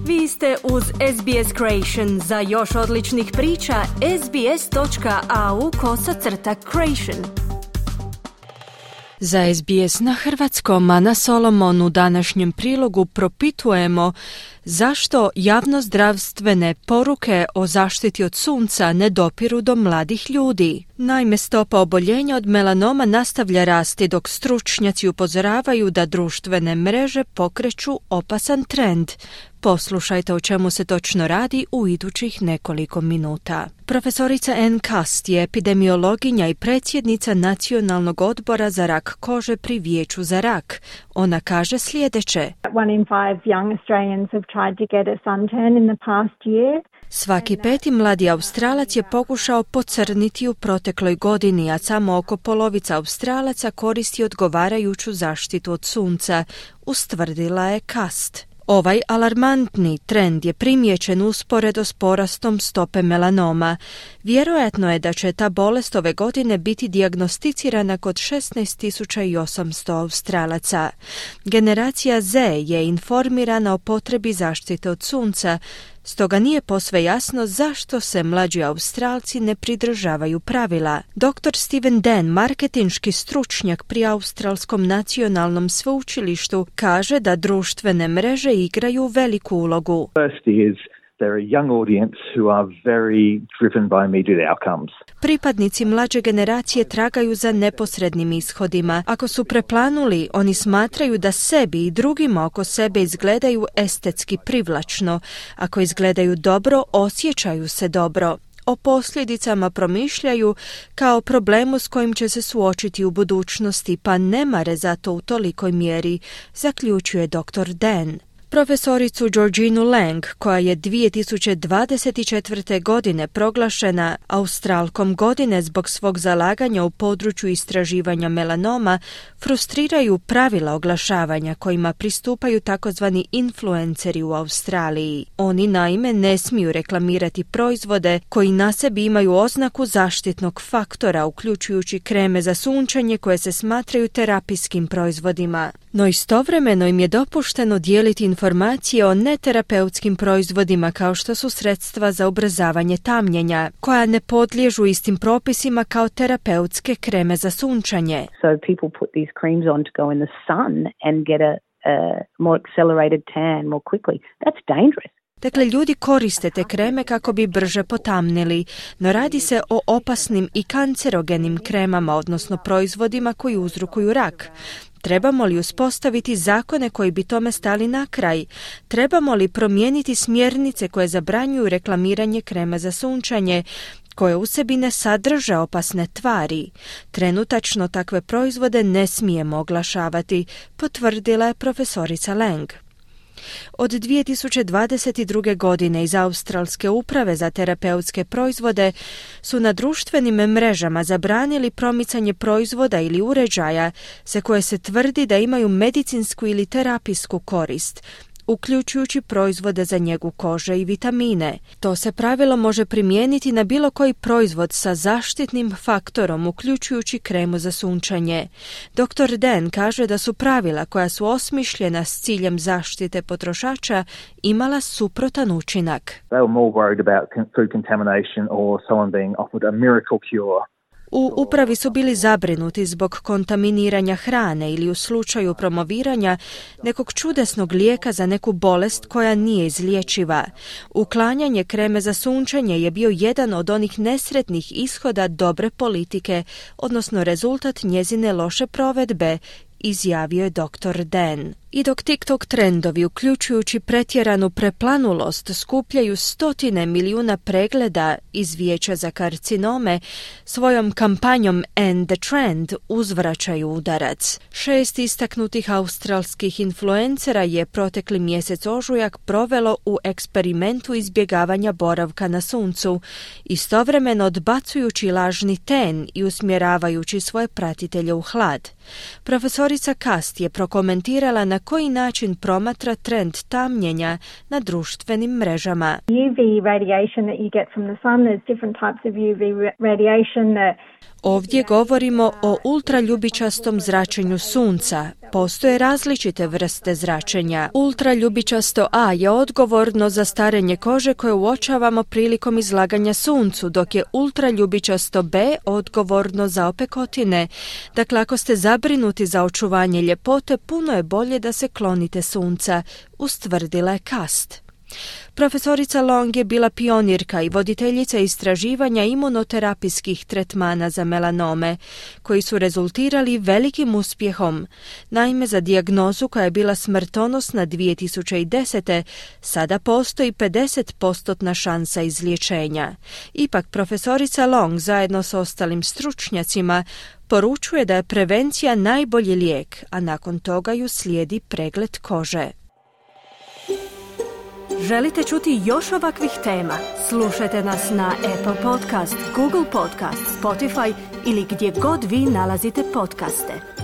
Vi ste uz SBS Creation. Za još odličnih priča, sbs.au/creation. Za SBS na hrvatskom, Ana Solomon, u današnjem prilogu propitujemo zašto javnozdravstvene poruke o zaštiti od sunca ne dopiru do mladih ljudi. Naime, stopa oboljenja od melanoma nastavlja rasti, dok stručnjaci upozoravaju da društvene mreže pokreću opasan trend. Poslušajte o čemu se točno radi u idućih nekoliko minuta. Profesorica Ann Cust je epidemiologinja i predsjednica Nacionalnog odbora za rak kože pri Vijeću za rak. Ona kaže sljedeće. 1 in 5 young Australians have tried to get a suntan in the past year. Svaki peti mladi Australac je pokušao pocrniti u protekloj godini, a samo oko polovica Australaca koristi odgovarajuću zaštitu od sunca, ustvrdila je Cust. Ovaj alarmantni trend je primijećen usporedo s porastom stope melanoma. Vjerojatno je da će ta bolest ove godine biti dijagnosticirana kod 16.800 Australaca. Generacija Z je informirana o potrebi zaštite od sunca, stoga nije posve jasno zašto se mlađi Australci ne pridržavaju pravila. Dr. Steven Dan, marketinški stručnjak pri Australskom nacionalnom sveučilištu, kaže da društvene mreže igraju veliku ulogu. They're a young audience who are very driven by immediate outcomes. Pripadnici mlađe generacije tragaju za neposrednim ishodima. Ako su preplanuli, oni smatraju da sebi i drugima oko sebe izgledaju estetski privlačno. Ako izgledaju dobro, osjećaju se dobro. O posljedicama promišljaju kao problemu s kojim će se suočiti u budućnosti, pa ne mare za to u tolikoj mjeri, zaključuje dr. Dan. Profesoricu Georginu Lang, koja je 2024. godine proglašena Australkom godine zbog svog zalaganja u području istraživanja melanoma, frustriraju pravila oglašavanja kojima pristupaju takozvani influenceri u Australiji. Oni naime ne smiju reklamirati proizvode koji na sebi imaju oznaku zaštitnog faktora, uključujući kreme za sunčanje koje se smatraju terapijskim proizvodima. No istovremeno im je dopušteno dijeliti informacije o neterapeutskim proizvodima kao što su sredstva za ubrzavanje tamnjenja, koja ne podliježu istim propisima kao terapeutske kreme za sunčanje. So people put these creams on to go in the sun and get a more accelerated tan more quickly. That's dangerous. Dakle, ljudi koriste te kreme kako bi brže potamnili, no radi se o opasnim i kancerogenim kremama, odnosno proizvodima koji uzrokuju rak. Trebamo li uspostaviti zakone koji bi tome stali na kraj? Trebamo li promijeniti smjernice koje zabranjuju reklamiranje krema za sunčanje, koje u sebi ne sadrže opasne tvari? Trenutačno takve proizvode ne smijemo oglašavati, potvrdila je profesorica Lang. Od 2022. godine iz Australske uprave za terapeutske proizvode su na društvenim mrežama zabranili promicanje proizvoda ili uređaja za koje se tvrdi da imaju medicinsku ili terapijsku korist, uključujući proizvode za njegu kože i vitamine. To se pravilo može primijeniti na bilo koji proizvod sa zaštitnim faktorom, uključujući kremu za sunčanje. Dr. Dan kaže da su pravila koja su osmišljena s ciljem zaštite potrošača imala suprotan učinak. They were more worried about food contamination or someone being offered a miracle cure. U upravi su bili zabrinuti zbog kontaminiranja hrane ili u slučaju promoviranja nekog čudesnog lijeka za neku bolest koja nije izlječiva. Uklanjanje kreme za sunčanje je bio jedan od onih nesretnih ishoda dobre politike, odnosno rezultat njezine loše provedbe, izjavio je dr. Dan. I dok TikTok trendovi, uključujući pretjeranu preplanulost, skupljaju 100 milijuna pregleda iz Vijeća za karcinome, svojom kampanjom End the Trend uzvraćaju udarac. 6 istaknutih australskih influencera je protekli mjesec ožujak provelo u eksperimentu izbjegavanja boravka na suncu, istovremeno odbacujući lažni ten i usmjeravajući svoje pratitelje u hlad. Profesorica Cust je prokomentirala na koji način promatra trend tamnjenja na društvenim mrežama. UV radiation that you get from the sun, there's different types of UV radiation that Ovdje govorimo o ultraljubičastom zračenju sunca. Postoje različite vrste zračenja. Ultraljubičasto A je odgovorno za starenje kože koje uočavamo prilikom izlaganja suncu, dok je ultraljubičasto B odgovorno za opekotine. Dakle, ako ste zabrinuti za očuvanje ljepote, puno je bolje da se klonite sunca, ustvrdila je Kast. Profesorica Long je bila pionirka i voditeljica istraživanja imunoterapijskih tretmana za melanome, koji su rezultirali velikim uspjehom. Naime, za dijagnozu koja je bila smrtonosna 2010. sada postoji 50% šansa izliječenja. Ipak, profesorica Long zajedno s ostalim stručnjacima poručuje da je prevencija najbolji lijek, a nakon toga ju slijedi pregled kože. Želite čuti još ovakvih tema? Slušajte nas na Apple Podcast, Google Podcast, Spotify ili gdje god vi nalazite podcaste.